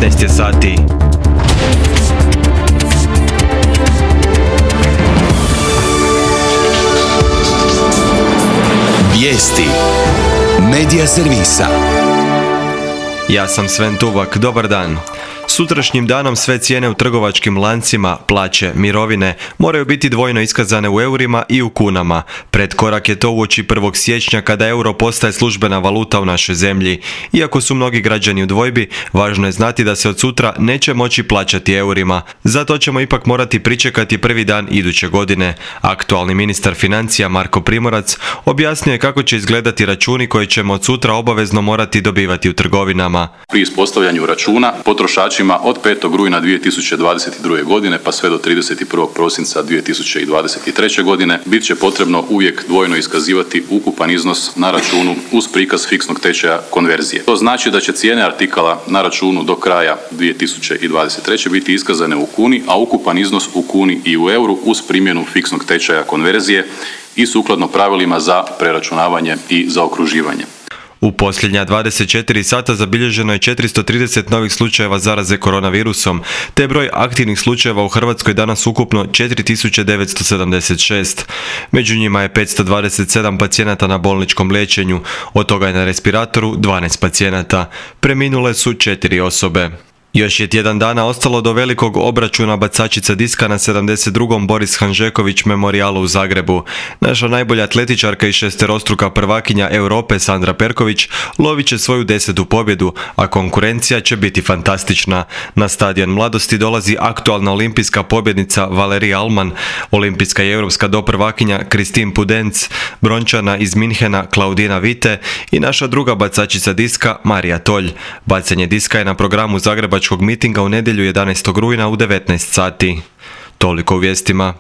19 je sati. Vijesti Medija servisa. Ja sam Sven Tuvak, dobar dan. Sutrašnjim danom sve cijene u trgovačkim lancima, plaće, mirovine moraju biti dvojno iskazane u eurima i u kunama. Pretkorak je to uoči 1. siječnja kada euro postaje službena valuta u našoj zemlji. Iako su mnogi građani u dvojbi, važno je znati da se od sutra neće moći plaćati eurima. Zato ćemo ipak morati pričekati prvi dan iduće godine. Aktualni ministar financija Marko Primorac objasnio je kako će izgledati računi koje ćemo od sutra obavezno morati dobivati u trgovinama. Pri ispostavljanju računa potrošačima od 5. rujna 2022. godine pa sve do 31. prosinca 2023. godine bit će potrebno uvijek dvojno iskazivati ukupan iznos na računu uz prikaz fiksnog tečaja konverzije. To znači da će cijene artikala na računu do kraja 2023. biti iskazane u kuni, a ukupan iznos u kuni i u euru uz primjenu fiksnog tečaja konverzije i sukladno pravilima za preračunavanje i zaokruživanje. U posljednja 24 sata zabilježeno je 430 novih slučajeva zaraze koronavirusom, te je broj aktivnih slučajeva u Hrvatskoj danas ukupno 4976. Među njima je 527 pacijenata na bolničkom liječenju, od toga je na respiratoru 12 pacijenata. Preminule su 4 osobe. Još je tjedan dana ostalo do velikog obračuna bacačica diska na 72. Boris Hanžeković memorijalu u Zagrebu. Naša najbolja atletičarka i šesterostruka prvakinja Europe Sandra Perković lovit će svoju 10. pobjedu, a konkurencija će biti fantastična. Na stadion Mladosti dolazi aktualna olimpijska pobjednica Valerija Alman, olimpijska i europska doprvakinja Kristin Pudenc, brončana iz Minhena Klaudina Vite i naša druga bacačica diska Marija Tolj. Bacanje diska je na programu zagrebačkog mitinga u nedjelju 11. rujna u 19 sati. Toliko u vijestima.